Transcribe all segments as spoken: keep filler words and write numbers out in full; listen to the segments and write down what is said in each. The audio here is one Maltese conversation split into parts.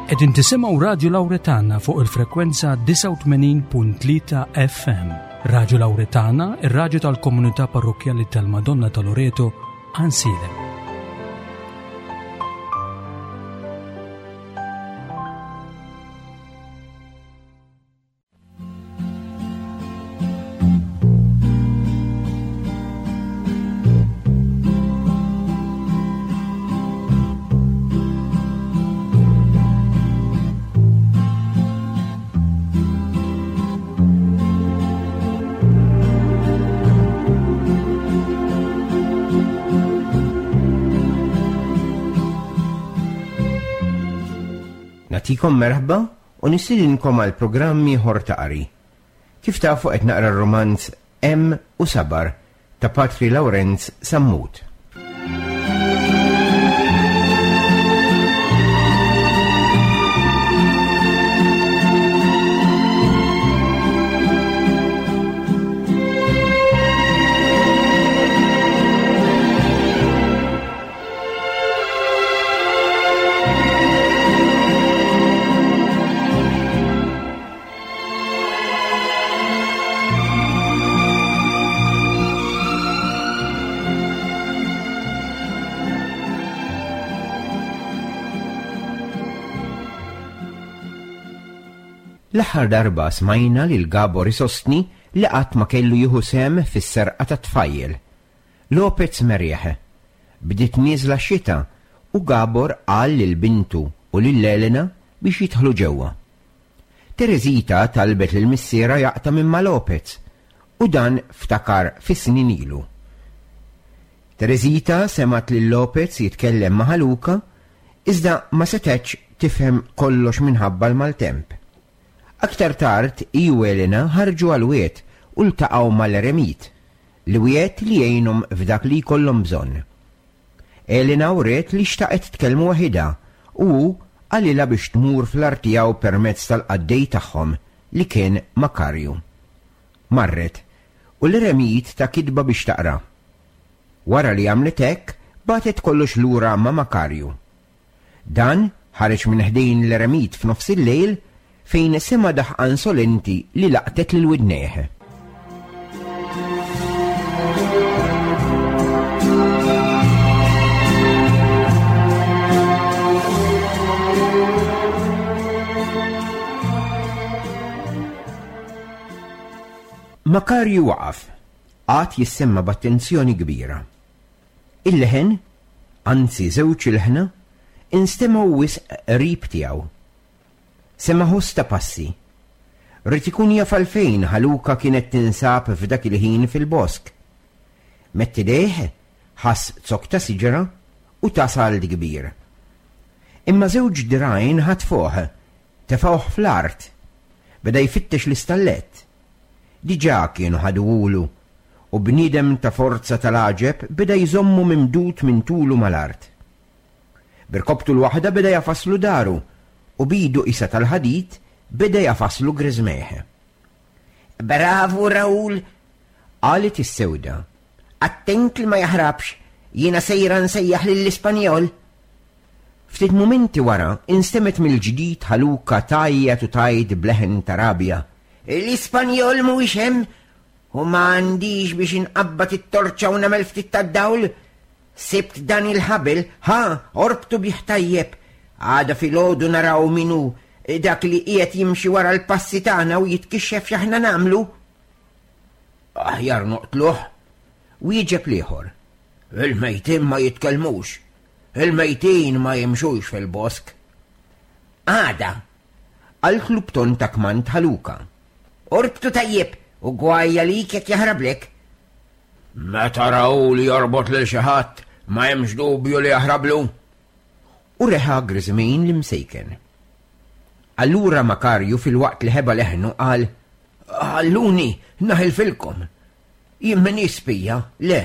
Qegħdin tisimgħu Radju Lawretana fuq il-frekwenza disgħa u tmenin punt tlieta F M. Radju Lawretana, ir-radju tal-Komunità Parrokkjali tal-Madonna ta' Loreto, Għajnsielem. Nagħtikom merħba u nistedinkom għal programm ieħor ta' qari. Kif tafu qed naqra r-romanz Hemm u Sabar ta' Patri Lawrenz Sammut. L-aħħar darba smajna lil Gabor isostni li qatt ma kellu jieħu sehem fis-serqa ta' tfajjel. Lopez merieħ. Bdiet nieżla x-xita u Gabor qal lil bintu u lil Elena biex jidħlu ġewwa. Teresita talbet lil missiera jaqta' minn ma' Lopez u dan ftakar fis-snin ilu. Teresita semgħet lil Lopez jitkellem ma' Ħaluka iżda ma setgħetx tifhem kollox minħabba l-maltemp. Aktar tard, hi u Elena ħarġu għal-wied u ltaqgħu mal-eremit, li wied li jgħinhom f'dak li jkollhom bżonn. Elena wriet li xtaqet tkellmu waħidha u hu qalilha biex tmur fl-art tiegħu permezz tal-qaddej tagħhom li kien Makarju. Marret u l-eremit ta' kitba biex taqra. Wara li għamlet hekk, bagħtet kollox lura ma' Makarju. Dan ħareġ minn ħdejn l-eremit f'nofs il-lejl fejn sema daħqa insolenti li laqtet lil widnejh. Makarju waqaf, għad jissemma b'attenzjoni kbira. Il-leħen, anzi żewġ ilħna, instemgħu wisq qrib tiegħu. Sema ħoss ta' passi. Rrid ikun jaf għalfejn Ħaluka kienet tinsab f'dak il-ħin fil-bosk. Mett idejh, ħass zokk ta' siġra u ta' sald kbir. Imma żewġ dirgħajn ħatfuh, tefgħuh fl-art. Beda jfittex l-istallett. Diġà kienu ħaduhulu u bniedem ta' forza tal-għaġeb beda jżommu mimdud minn tulu mal-art. Birkobtu l-waħda beda jafaslu daru u bidu isa tal-ħadid beda jafaslu griżmejh. Bravu Raul, qalet is-sewda. Attent li ma jaħrabx, jiena sejra nsejjaħ lill-Ispanjol. Ftit mumenti wara instemet mill-ġdid Ħaluka tgħajjat u tgħid bleħen ta' rabja. L-Ispanjol mhuwiex hemm u ma għandix biex inqabbad it-torċa u nagħmel ftit tad-dawl. Sibt dan il-ħabel, ħa, orbtu bih tajjeb. Għada filgħodu naraw min hu dak li qiegħed jimxi wara l-passi tagħna u jitkixxef x'aħna nagħmlu. Aħjar noqtluh, wieġeb l-ieħor. Il-mejtin ma jitkellmux, il-mejtin ma jimxux fil-bosk. Għada, qaltlu b'ton ta' kmand Ħaluka. Orbtu tajjeb u gwajja lik jekk jaħrablek. Meta Raul jorbot lil xi ħadd, ma hemmx dubju li jaħrablu. U reħa griżmejn l-imsejken. Allura Makarju fil-waqt li ħeba leħnu qal, Ħalluni, naħilfilkom. Jien m'iniex spija, le.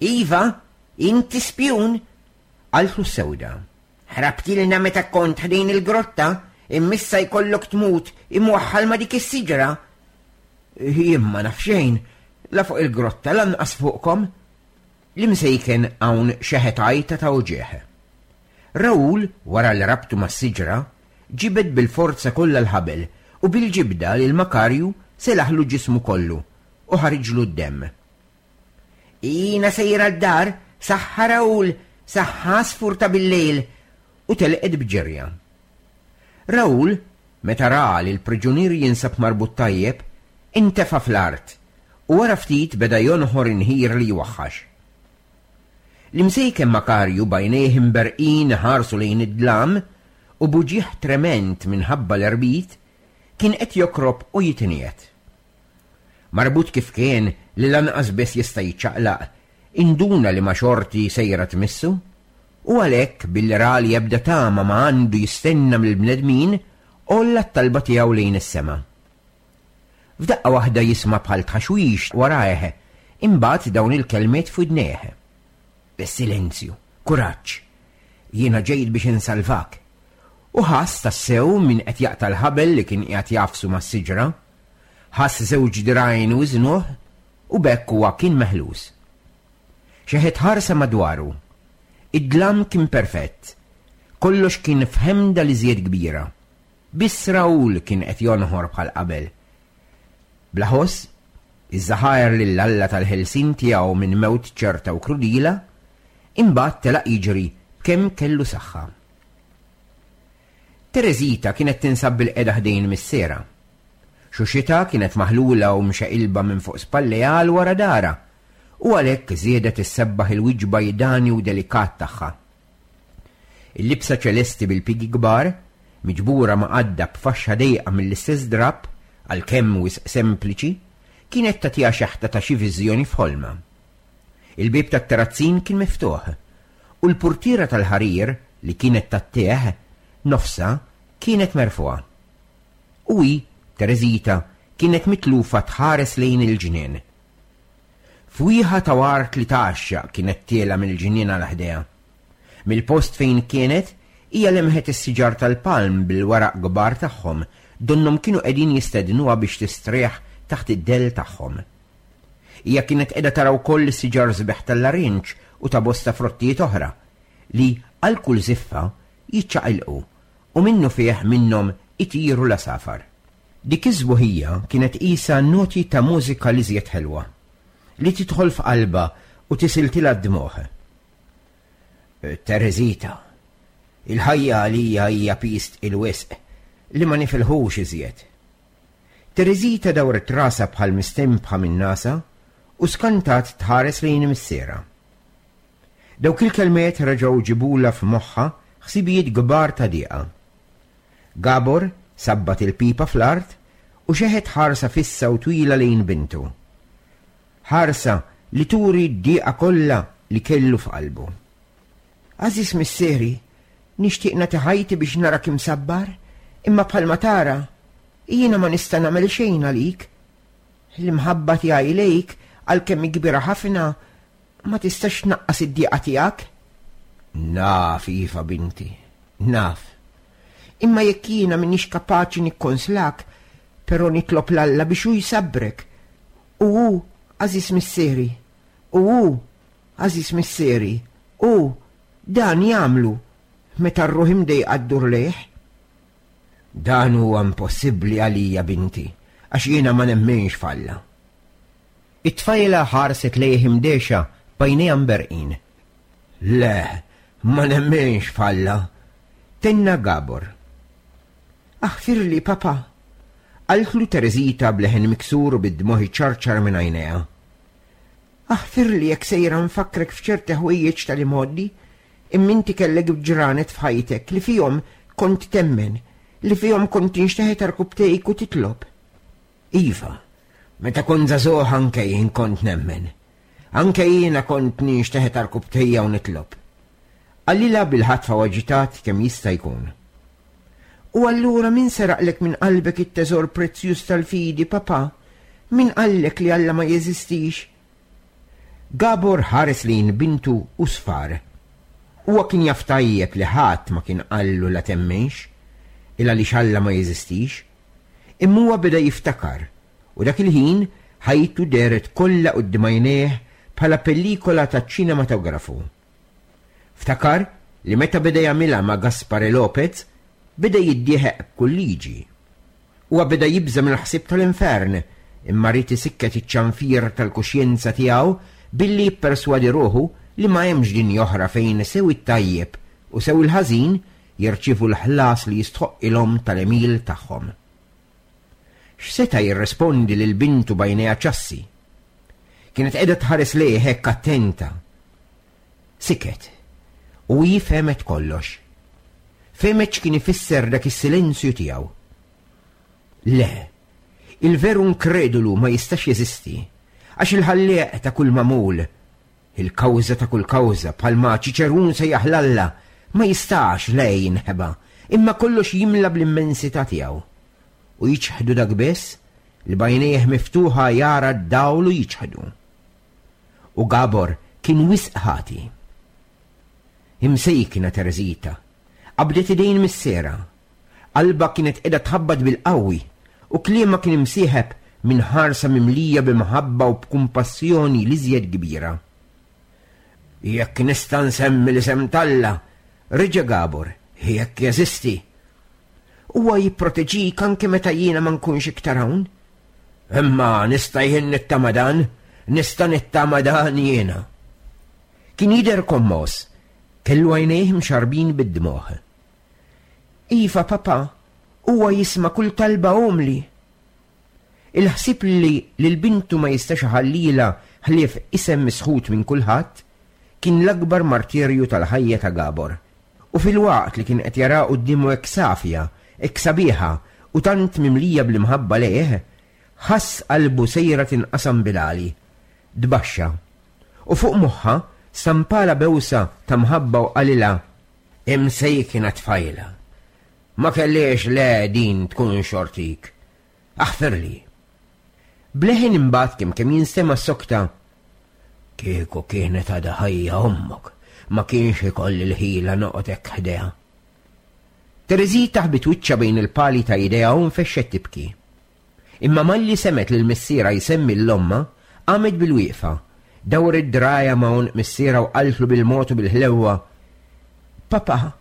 Iva, inti spjun, qaltlu s-sewda. Ħrabtilna meta kont ħdejn il-grotta, immissa jkollok tmut imwaħħal ma' dik is-siġra. Jien ma naf xejn, la fuq il-grotta lanqas fuqkom. L-imsejken hawn xeħet għajta ta' uġieħ. Raoul, wara li rabtu mas-siġra, ġibed bil-forza kollha l-ħabel u bil-ġibda lil Makarju selaħlu ġismu kollu u ħariġlu d-demm. Jiena sejra d-dar, saħħa Raoul, saħħa għasfur ta' bil-lejl, u telqet b'ġerja. Raoul, meta ra li l-priġunier jinsab marbut tajjeb, intefa' fl-art u wara ftit beda jonħor inħir li jwaħħax. L-imsejken Makarju b'għajnejh imberqin ħarsu lejn id-dlam u b'uġigħ trement minħabba l-erbit kien qed jokrob u jitniet. Marbut kif kien li lanqas biss jista' jiċċaqlaq, induna li ma xorti sejra tmissu, u għalhekk billi ra li ebda tama ma għandu jistenna mill-bnedmin, għolla t-talba tiegħu lejn is-sema. F'daqqa waħda jisma' bħal tħaxwix warajh, imbagħad dawn il-kelmiet f'widnejh. Silenzju, kuraġġ, jiena ġejt biex insalvak. U ħass tassew min qed jaqta' l-ħabel li kien qiegħed jafsu mas-siġra, ħass żewġ dirgħajn wiżnuh u b'hekk huwa kien meħlus. Xeħet ħarsa madwaru. Id-dlam kien perfett. Kollox kien f'ħemda li żjed kbira. Biss Raoul kien qed jonħor bħal qabel. Bla ħoss, iżżaħajer lil Alla tal-ħelsin tiegħu minn mewt ċerta u krudila, imbagħad telaq jiġri kemm kellu saħħa. Tereżita kienet tinsab bil-qeda ħdejn missierha. Xuxita kienet maħlula u mxaqilba minn fuq spallejha għal wara dara, u għalhekk żiedet issebbaħ il-wiċċ bajdani u delikat tagħha. Il-libsa ċelesti bil-pigi kbar, miġbura ma' għadda b'faxxa dejqa mill-istess drapp, għalkemm wisq sempliċi, kienet tagħtiha xeħta ta' xi viżjoni f'ħolma. Il-bieb tat-terrazzin kien miftuħ, u l-purtiera tal-ħarir li kienet tattieħ nofsa kienet merfuha. U hi, Tereżita, kienet mitlufa tħares lejn il-ġnien. Fwieħa ta' wart li tgħaxxaq kienet tiela mill-ġnien għal ħdejha. Mill-post fejn kienet, hija lemħet is-siġar tal-palm bil-waraq kbar tagħhom, donnhom kienu qegħdin jistednuha biex tistrieħ taħt id-dell tagħhom. Hija kienet qiegħda tara wkoll is-siġar sbieħ tal-larinġ u ta' bosta frottijiet oħra li għal kull żiffa jiċċaqilqu u minnu fih minnhom itiru l-għasafar. Dik iż-żbuħija kienet qisha noti ta' mużika li żjed ħelwa, li tidħol f'qalbha u tisiltilha d-dmugħ. Tereżita, il-ħajja għalija hija piż il-wisq li ma nifilħux iżjed. Tereżita dawret rasha bħal mistempħa minn nasa u skantat tħares lejn missierha. Dawk il-kelmiet reġgħu ġibula f'moħħha ħsibijiet kbar ta' dieqa. Gabor sabbat il-pipa fl-art u xeħet ħarsa fissa u twila lejn bintu. Ħarsa li turi d-dieqa kollha li kellu f'qalbu. Għażiż missieri, nixtieq nagħti ħajti biex narak imsabbar, imma bħalma tara, jiena ma nista' nagħmel xejn għalik. L-imħabba tiegħi lejk, għalkemm hi kbira ħafna, ma tistax tnaqqas id-dieqa tiegħek. Naf, iva, binti, naf. Imma jekk jiena m'iniex kapaċi nikkonslak, però nitlob 'l Alla biex hu jsabbrek. U hu, għażiż missieri, u hu, għażiż missieri, u dan jagħmlu meta r-ruħ imdejqa ddur lejh. Dan huwa impossibbli għalija, binti, għax jiena ma nemminx f'Alla. It-tfajla ħarset lejh imdehxa b'għajnejha mberqin. Le, ma nemminx f'Alla, tenna Gabor. Aħfirli, papa, qaltlu Tereżita b'leħen miksur u bid-dmugħ iċarċar minn għajnejha. Aħfirli jekk sejra nfakkrek f'ċerti ħwejjeġ tal-imgħoddi, imma inti kellek ġranet f'ħajtek li fihom kont temmen, li fihom kont tinxteħet għarkupptejk u titlob. Iva, meta kont żagħżugħ anke jien kont nemmen. Anke jiena kont ninxteħet għarkupptejja u nitlob. Qalilha bil-ħatfa u aġitat kemm jista' jkun. U allura min seraqlek minn qalbek it-teżor prezzjuż tal-fidi, papa? Min qallek li Alla ma jeżistix? Gabor ħares lejn bintu u sfar. Huwa kien jaf tajjeb li ħadd ma kien qallu la temmenx, il għaliex Alla ma jeżistix. Imma huwa beda jiftakar, u dak il-ħin ħajtu dehret kollha quddiem għajnejh bħala pellikola ta' ċinematografu. Ftakar li meta beda jagħmilha ma' Gaspare Lopez beda jiddieħeq b'kull liġi. Huwa beda jibża' mill-ħsieb tal-infern, imma ried isikket iċ-ċanfir tal-kuxjenza tiegħu billi jipperswadi ruħu li ma hemmx dinja oħra fejn sew it-tajjeb u sew il-ħażin jirċievu l-ħlas li jistħoqqilhom tal-għemil tagħhom. X'seta' jirrespondi lil bintu b'għajnejha ċassi? Kienet qiegħda tħares lejh hekk attenta. Siket, u hi fehmet kollox. Fehmet x'kien ifisser dak is-silenzju tiegħu. Le, il-veru inkredulu ma jistax jeżisti, għax il-ħallieq ta' kull magħmul, il-kawża ta' kull kawża, bħalma Ċiċerun sejjaħ 'l Alla, ma jistax le jinħeba, imma kollox jimla bl-immensità tiegħu. U jiċħdu dak biss li b'għajnejh miftuħa jara d-dawl u jiċħdu. U Gabor kien wisq ħati. Imsejkna Tereżita, qabdet idejn missierha. Qalbha kienet qiegħda tħabbat bil-qawwi u kliemha kien imsieħeb minn ħarsa mimlija b'imħabba u b'kumpassjoni l-iżjed kbira. Jekk nista' nsemmi l-isem t'Alla, reġa' Gabor, jekk jeżisti. Huwa jipproteġik anke meta jiena ma nkunx iktar hawn. Imma nista' jien nittama dan, nista' nittama dan jiena. Kien jidher kommos, kellu għajnejh mxarbin bid-dmugħ. Iva, papa, huwa jisma' kull talba umli. Il-ħsieb li lil bintu ma jistax iħallilha ħlief isem misħut minn kulħadd kien l-akbar martirju tal-ħajja ta' Gabor. U filwaqt li kien qed jara quddiemu hekk safja, hekk sabiħa u tant mimlija bl-imħabba lejh, ħass qalbu sejra tinqasam bil-għali. Tbaxxa. U fuq moħħha stampala bewsa ta' mħabba u qalilha, Imsejkna tfajla. Ma kellix le din tkun xortik. Aħfirli. Bleħen imbagħad kemm kemm jinstema' sokta. Kieku kienet għadha ħajja ommok, ma kienx ikolli l-ħila noqgħod hekk ħdejha. Tereżita ħbit wiċċha bejn il-pali ta' idejha u nfexxet tibki. Imma malli semgħet lil missierha jsemmi 'l ommha, qamet bil-wieqfa, dawret dirgħajha ma' għonq missierha u qaltlu bil-mod u bil-ħlewwa, Papa,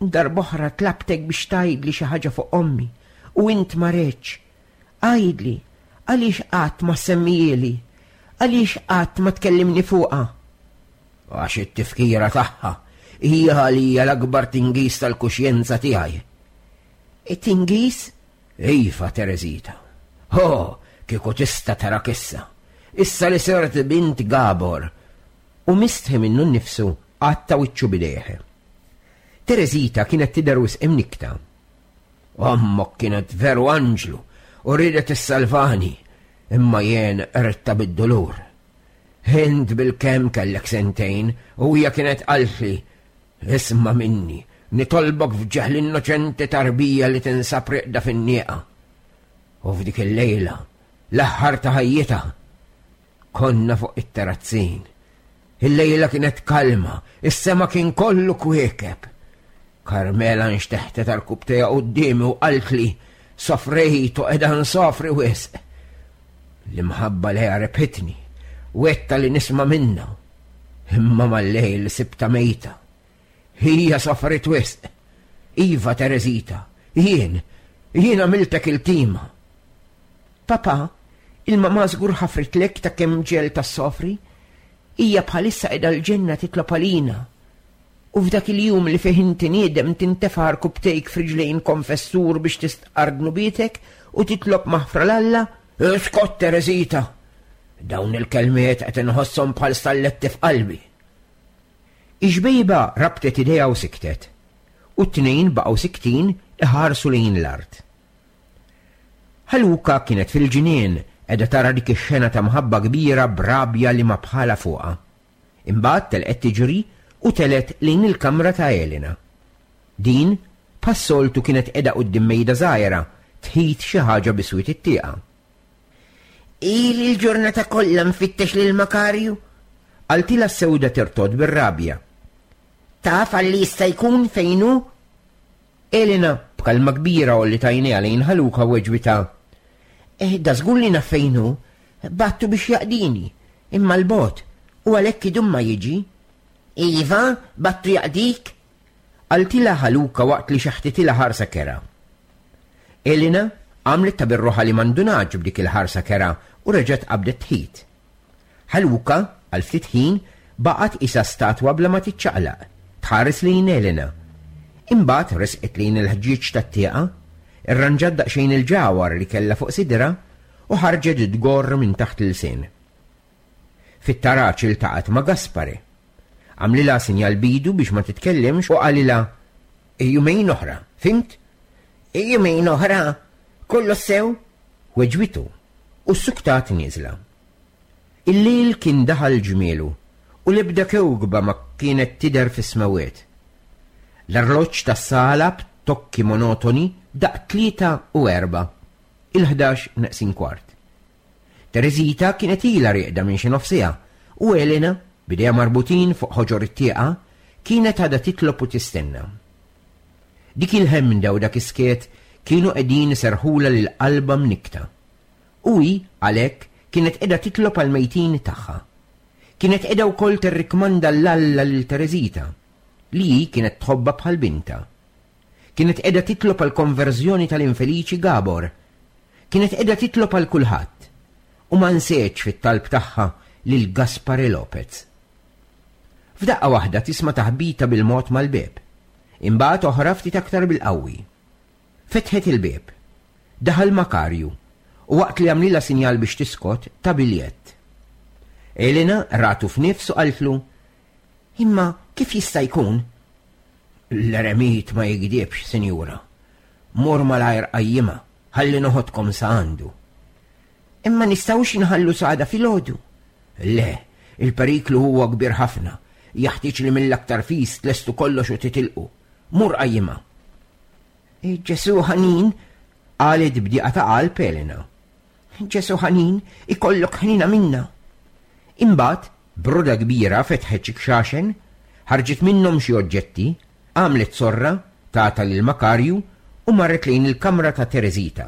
darb'oħra tlabtek biex tgħidli xi ħaġa fuq ommi u int ma ridtx. Għidli, għaliex qatt ma semmijieli? Għaliex qatt ma tkellimni fuqha? Għax it-tifkira tagħha hija għalija l-akbar tingiż tal-kuxjenza tiegħi. It-tingiż? Iva, Tereżita. Ho, kieku tista' tarak issa. Issa li sirt bint Gabor. U mistħi minnu nnifsu għatta wiċċu b'idejh. Tereżita kienet tidher wisq imnikkta. Ommok kienet veru anġlu u riedet issalvani, imma jien qridtha bid-dulur. Int bil-kemm kellek sentejn u hija kienet qaltli, isma' minni, nitolbok f'ġieħ l-innoċenti tarbija li tinsab rieqda fin-nieqa. U f'dik il-lejla, l-aħħar ta' ħajjitha, konna fuq it-terrazzin. Il-lejla kienet kalma, is-sema kien kollu kwiekeb. Carmela nxteħtet għarkupptejha quddiemi u qaltli, sofrejt u qiegħda nsofri wisq. L-imħabba lejha rebħitni, wegħedtha li nisma' minnha. Imma mal-lejl sibtha mejta. Hija sofrit wisq. Iva, Tereżita, jien, jien għamiltek iltima. Papa, il-mama żgur ħafritlek ta' kemm ġegħeltha ssofri? Hija bħalissa qiegħda l-ġenna titlob għalina. U f'dak il-jum li fih inti niedem tintefa' rkupptejk f'riġlejn konfessur biex tistqarr dnubietek u titlob maħfra 'l Alla? Iskot, Tereżita! Dawn il-kelmiet qed inħosshom bħal stalletti f'qalbi. Ix-xbejba rabtet idejha u siktet, u t-tnejn baqgħu siktin iħarsu lejn l-art. Ħaluka kienet fil-ġnien qiegħda tara dik ix-xena ta' mħabba kbira b'rabja li ma bħala fuqha. Imbagħad telqet tiġri u telet lejn il-kamra ta' Elena. Din, bħas-soltu kienet qiegħda quddiem mejda żgħira tħit xi ħaġa biswit it-tieqa. Ili l-ġurnata kollha nfittex lil Makarju, qaltilha s-sewda tirtod bir-rabja. Taf għalli jista' jkun fejn hu? Elena b'kalma kbira u li tajnejha lejn Ħaluka weġbitha. Eh, da żgur li naf fejn hu, battu biex jaqdini, imma l-bot, u għalhekk idum ma jiġi. Iva, battu jaqdik? Qaltilha Ħaluka waqt li xeħtitilha ħarsa kerha. Elena għamlet ta' birruħa li m'indunatx b'dik il-ħarsa kerha u reġgħet qabdet tħit. Ħaluka, għal ftit ħin, baqgħet qisha statwa bla ma tiċċaqlaq, tħares lejn Elena. Imbagħad resqet lejn il-ħġieġ tat-tieqa, irranġat daqsxejn il-ġawhar li kellha fuq sidra u ħarġet tgorr minn taħt l-ilsien. Fit-taraġ iltaqgħet ma' Gaspare. Għamlilha sinjal b'idu biex ma titkellimx u qalilha jumejn oħra, fhimt? Jumejn oħra, kollox sew? Weġbitu u ssuktat nieżla. Il-lejl kien daħal ġmielu u l-ebda kewkba ma kienet tidher fis-smewwiet. L-arloġġ tas-sala b'tokki monotoni daqq tlieta u erba', il-ħdax neqsin kwart. Tereżita kienet ilha rieqda minn xi nofs siegħa u Elena, b'idejha marbutin fuq ħoġor it-tieqa, kienet għadha titlob u tistenna. Dik il-ħemda u dak is-skiet kienu qegħdin iserrħulha lil qalbha mnikkta. U hi, għalhekk, kienet qiegħda titlob għall-mejtin tagħha. Kienet qiegħda wkoll tirrikmanda 'l Alla lil Tereżita, li hi kienet tħobbha bħal bintha. Kienet qiegħda titlob għall-konverżjoni tal-infeliċi Gabor. Kienet qiegħda titlob għal kulħadd. U ma nsietx fit-talb tagħha lil Gaspare Lopez. F'daqqa waħda tisma' taħbita bil-mod mal-bieb. Imbagħad oħra ftit aktar bil-qawwi. Fetħet il-bieb. Daħal Makarju u waqt li għamlilha sinjal biex tiskot ta biljett. Elena ratu f'nifs u qaltlu, Imma kif jista' jkun? L-eremit ma jigdibx, sinjura. Mur malajr qajjimha, ħalli noħodkom sa għandu. Imma nistgħux inħallu s'għada filgħodu. Le, il-periklu huwa kbir ħafna. Jaħtieġ li mill-aktar fis tlestu kollox u titilqu. Mur qajjimha. Ġesu ħanin, qalet b'diqa ta' qalb Elena. Ġesu ħanin, ikollok ħnina minna. Imbagħad, b'roda kbira fetħet xi kxaxen, ħarġet minnhom xi oġġetti, għamlet sorra, tata lil Makarju u marret lejn il-kamra ta' Tereżita.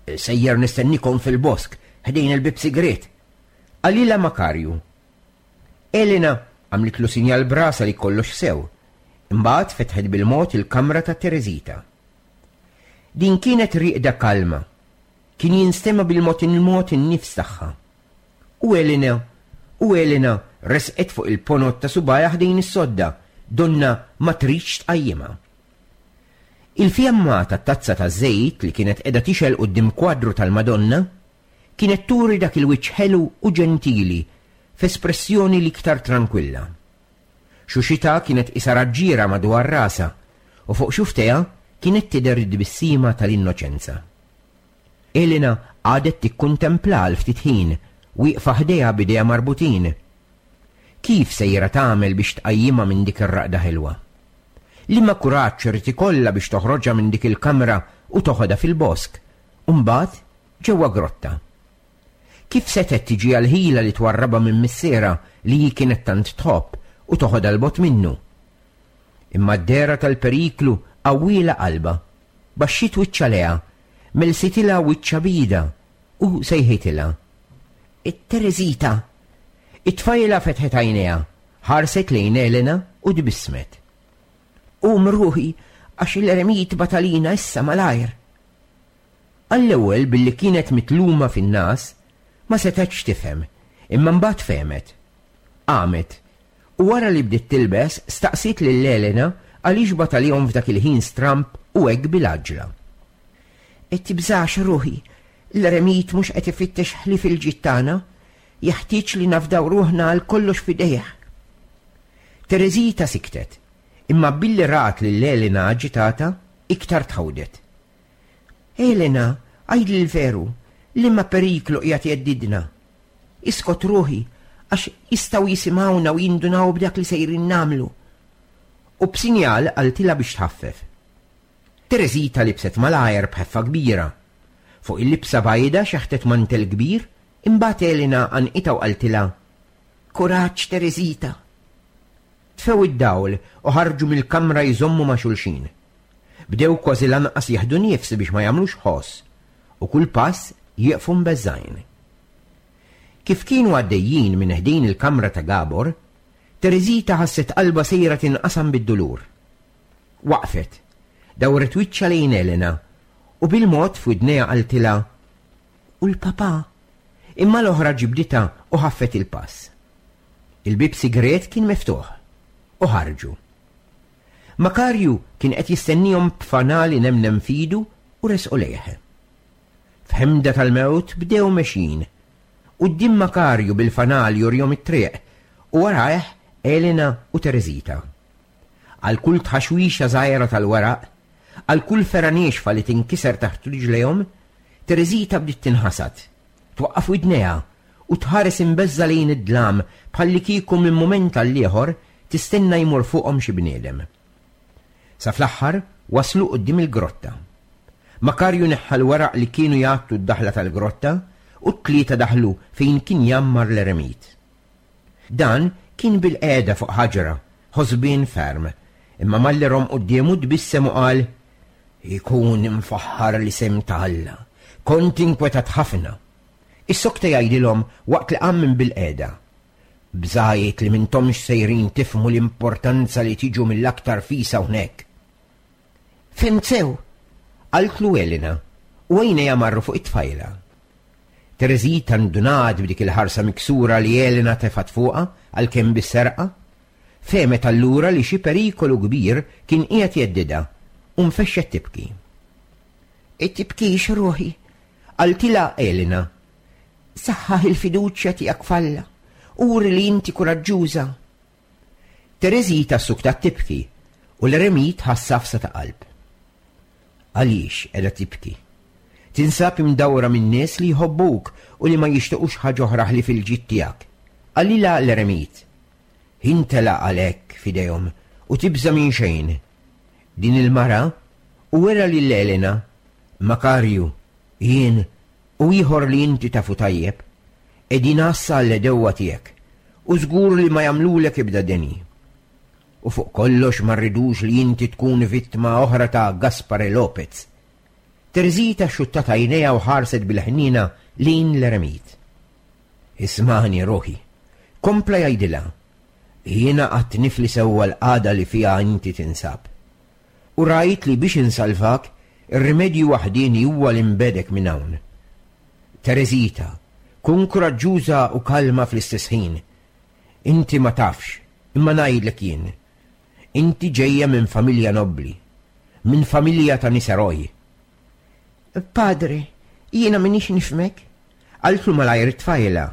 Sejjer nistennikom fil-bosk, ħdejn il-bib sigriet. Qalilha Makarju. Elena għamlitlu sinjal b'rasha li kollox sew. Imbagħad fetħet bil-mod il-kamra ta' Tereżita. Din kienet rieqda kalma. Kien jinstema' bil-mod il-mod in-nifs tagħha. U Elena, u Elena resqet fuq il-ponot ta' subgħajha ħdejn is-sodda, donna ma tridx tqajjimha. Il-fjamma ta' tazza ta' żejt li kienet qiegħda tixgħel quddiem kwadru tal-Madonna kienet turi dak il-wiċċ ħelu u ġentili f'espressjoni l-iktar tranquilla. Xuxita kienet qisha raġġiera madwar rasha u fuq xufftejha kienet tidher id-tbissima tal-innoċenza. Elena għadet tikkuntempla għal ftit ħin, wieqfa ħdejha b'idejha marbutin. Kif sejra tagħmel biex tqajjimha minn dik ir-raqda ħelwa? Liema kuraġġ irid ikollha biex toħroġha minn dik il-kamra u toħodha fil-bosk, u mbagħad ġewwa grotta. Kif setgħet tiġi għall-ħila li twarrabha minn missierha li hi kienet tant tħobb u toħodha 'l bogħod minnu? Imma d-dehra tal-periklu qawwielha qalbha, baxxiet wiċċha lejha, melsitilha wiċċha b'idha u sejħitilha. Tereżita! It-tfajla fetħet għajnejha, ħarset lejn Elena u tbissmet. Qum ruħi, għax l-eremit bagħat għalina issa malajr. Għall-ewwel billi kienet mitluma fin-ngħas, ma setgħetx tifhem, imma mbagħad fehmet. Qamet, u wara li bdiet tilbes, staqsiet lil Elena għaliex bagħat għalihom f'dak il-ħin stramb u hekk bil-għaġla. Tibżax ruħi, l-eremit mhux qed ifittex ħlief il-ġid tagħna, jeħtieġ li nafdaw ruħna għal kollox f'idejh. Tereżita siktet, imma billi rat lil Elena aġitata, iktar tħawdet. Elena, għidli l-veru, liema periklu qiegħed jheddidna. Iskot ruħi, għax jistgħu jisimgħuna u jindunaw b'dak li sejrin nagħmlu. U b'sinjal qaltilha biex tħaffef. Tereżita libset malajr b'ħeffa kbira. Fuq il-libsa bajda xeħtet mantel kbir, imbagħad Elena għannqitha u qaltilha, Kuraġġ, Tereżita. Tfew id-dawl u ħarġu mill-kamra jżommu ma' xulxin. Bdew kważi lanqas jieħdu nifs biex ma jagħmlux ħoss u kull pass jieqfu mbeżżgħin. Kif kienu għaddejjin minn ħdejn il-kamra ta' Gabor, Tereżita ħasset qalbha sejra tinqasam bid-dulur. Waqfet, dawret wiċċha lejn Elena u bil-mod f'widnejha qaltilha, "U l-papà?" Imma l-oħra ġibditha u ħaffet il-pass. Il-bib sigret kien miftuħ u ħarġu. Makarju kien qed jistennihom b'fanal inemnem f'idu u resqu lejh. F'ħemda tal-mewt bdew mexjin. Quddiem Makarju bil-fanal jurihom it-triq u warajh Elena u Tereżita. Għal kull tħaxwixa żgħira tal-weraq, għal kull fergħa niexfa li tinkiser taħt riġlejhom, Tereżita bdiet tinħasad, twaqqaf widnejha u tħares imbeżża' lejn id-dlam bħallikieku minn mument għall-ieħor tistenna jmur fuqhom xi bniedem. Sa fl-aħħar waslu quddiem il-grotta. Makarju neħħa l-weraq li kienu jgħattu d-daħla tal-grotta u t-tlieta daħlu fejn kien jammar l-eremit. Dan kien bil-qiegħda fuq ħaġra, ħosbien ferm, imma malli rom quddiemu tbissem u qal, "Ikun imfaħħar l-isem ta' Alla, kont inkwetat ħafna." Is-sokta jgħidilhom waqt li qam minn bil-qiegħda. Bżajt li mintomx sejrin tifhmu l-importanza li tiġu mill-aktar fis hawnhekk. Fhimt sew, qaltlu Elena, u għajnejha marru fuq it-tfajla. Tereżita ndunat b'dik il-ħarsa miksura li Elena tefat fuqha għalkemm bis-serqa, fehmet allura li xi perikolu kbir kien qiegħed jheddidha u nfexxet tibki. Tibkix ruħi, qaltilha Elena. Saħħaħ il-fiduċja tiegħek f'Alla, uri li inti kuraġġuża. Tereżita ssuktat tibki u l-eremit ħass għafsa ta' qalb. Għaliex qiegħda tibki? Tinsab imdawra minn nies li jħobbuk u li ma jixtiequx ħaġa oħra ħlief il-ġid tiegħek. Qalilha l-eremit. Intelaq għalhekk f'idejhom u tibża' minn xejn. Din il-mara u wera lil Elena, Makarju, jien u ieħor li inti tafu tajjeb, qegħdin għassa għall-għedewwa tiegħek u żgur li ma jagħmlulek ebda deni. U fuq kollox ma rridux li inti tkun vittma oħra ta' Gaspare Lopez. Tereżita xuttat għajnejha u ħarset bil-ħnina lejn l-eremit. Ismani ruħi, kompla jgħidilha, jiena qatt nifli sewwa l-qagħda li fiha inti tinsab. U rajt li biex insalvak, ir-rimedju waħdieni huwa li nbegħdek minn hawn. Tereżita, kun kuraġġuża u kalma fl-istess ħin. Inti ma tafx, imma ngħidlek jien. Inti ġejja minn familja nobbli, minn familja ta' nies eroj. Padre, jiena m'iniex nifhmek, qaltlu malajr it-tfajla.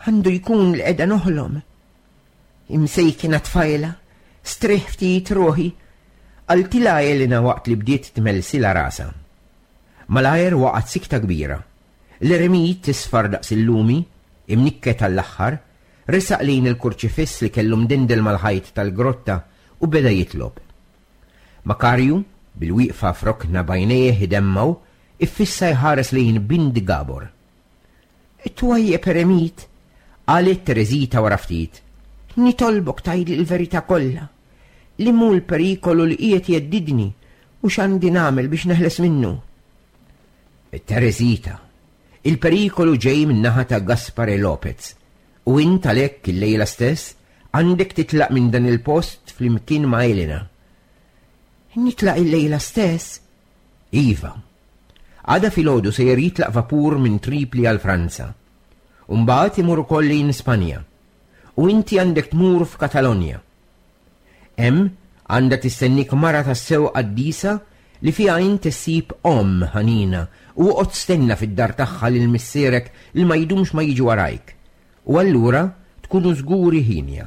Għandu jkun li qiegħda noħlom. Imsejkina tfajla, strieħ ftit ruħi, qaltilha Elena waqt li bdiet tmellsilha rasha. Malajr waqgħet sikta kbira. L-eremit tisfar daqs il-lumi, imnikket għall-aħħar, resaq lejn il-kurċifiss li kellu mdendel mal-ħajt tal-grotta u beda jitlob. Makarju, bil-wieqfa f'rokna b'għajnejh idemmgħu, iffissa jħares lejn Bindi Gabor. Twajjeb eremit, qalet Tereżita wara ftit. Nitolbok tgħidli l-verità kollha. Li mhu l-perikolu li qiegħed jheddidni u x'għandi nagħmel biex neħles minnu. Tereżita, il-perikolu ġej min-naħa ta' Gaspare Lopez u int għalhekk il-lejla stess għandek titlaq minn dan il-post flimkien ma' Elena. Nitlaq il-lejla stess? Iva. Għada filgħodu sejjer jitlaq vapur minn Tripli għal Franza. U mbagħad imur ukoll lejn Spanja. U inti għandek tmur f'Katalonja. Hemm għandha tistennik mara tassew qaddisa li fiha inti ssib omm ħanina u oqgħod stenna fid-dar tagħha lil missierek li ma jdumx ma jiġi warajk. U allura tkunu żguri ħinja.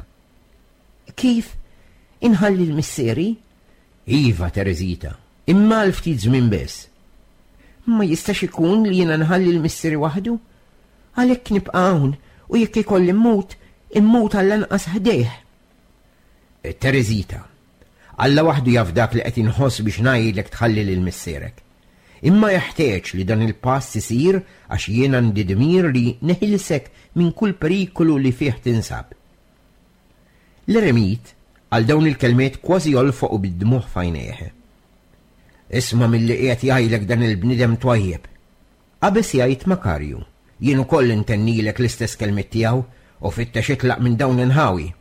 Kif? Inħalli l-missieri? Iva, Tereżita, imma għal ftit żmien biss. Ma jistax ikun li jiena nħalli l-missieri waħdu? Għalhekk nibqa' hawn u jekk ikolli mmut, immut għall-anqas ħdejh. Tereżita, Alla waħdu jaf dak li qed inħoss biex ngħidlek tħalli lil missierek. Imma jeħtieġ li dan il-pass isir għax jien għandi dmir li neħilsek minn kull perikolu li fih tinsab. L-eremit għal dawn il-kelmiet kważi jolfoq bid-dmugħ f'għajnejh. Isma' milli qiegħed jgħidlek dan il-bniedem twajjeb. Qabeż jgħid Makarju, jien ukoll intennilek l-istess kelmiet tiegħu u fittex itlaq minn dawn l-inħawi.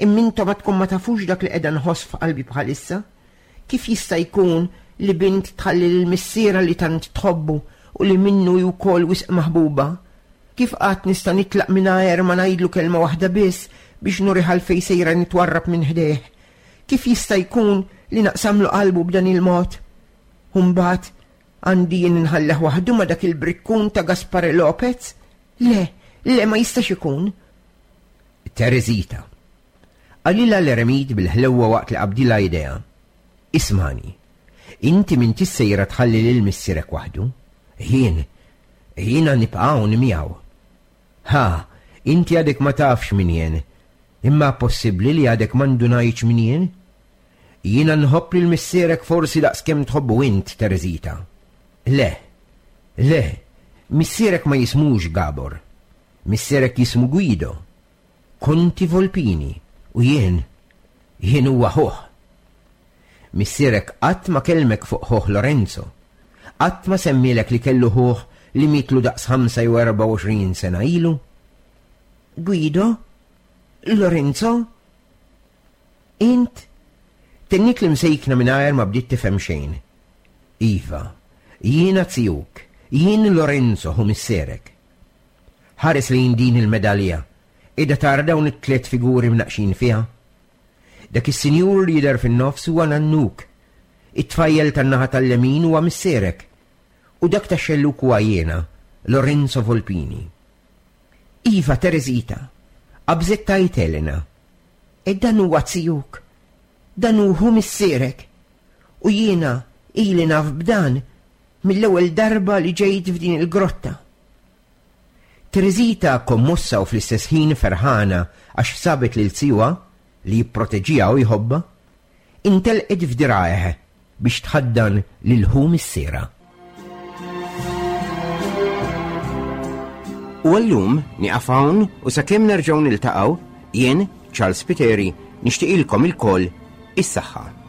Imma intom għadkom ma tafux dak li qiegħda nħoss f'qalbi bħalissa? Kif jista' jkun li bint tħalli lil missierha li tant tħobbu u li minnu hi wkoll wisq maħbuba? Kif qatt nista' nitlaq mingħajr ma ngħidlu kelma waħda biss biex nurih għalfejn sejra nitwarrab minn ħdejh? Kif jista' jkun li naqsamlu qalbu b'dan il-mod? U mbagħad għandi jien nħallih waħdu ma' dak il-brikkun ta' Gaspare Lopez? Le, le ma jistax ikun. Teresita. Qalilha l-eremit bil-ħlewwa waqt li qabdilha idejha. Ismagħni, inti m'intix sejra tħalli lil missierek waħdu. Jien, jiena nibqa' hawn miegħu. Ha, inti għadek ma tafx min jien. Imma possibbli li għadek ma ndunajtx min jien? Jiena nħobb lil missierek forsi daqskemm tħobbu int, Teresita. Le, le, missierek ma jismux Gabor. Missierek jismu Guido. Konti Volpini, u jien, jien huwa ħuh. Missierek qatt ma kellmek fuq ħuh Lorenzo. Qatt ma semmielek li kellu ħuh li mietlu daqs ħamsa jew erbgħa u għoxrin sena ilu. Guido? Lorenzo? Int? Tenniet l-imsejkna mingħajr ma bdiet tifhem xejn. Iva, jiena zijuk, jien Lorenzo ħu missierek. Ħares lejn din il-medalja, qiegħda tara dawn it-tliet figuri mnaqqxin fiha. Dak is-sinjur li jidher fin-nofs huwa nannuk, it-tfajjel tan-naħa tal-lemin huwa missierek, u dak tax-xellug huwa jiena, Lorenzo Volpini. Iva, Teresita, qabżet tgħid Elena, e dan huwa zijuk, dan hu ħu missierek, u jiena ili naf b'dan mill-ewwel darba li ġejt f'din il-grotta. Teresita, kommossa u fl-istess ħin ferħana għax sabet lil zijuha li jipproteġiha u jħobbha, intelqet f'dirgħajh biex tħaddan lil ħu missierha. U għallum nieqaf hawn u sakemm nerġgħu niltaqgħu, jien, Charles Spiteri, nixtieqilkom ilkoll is-saħħa.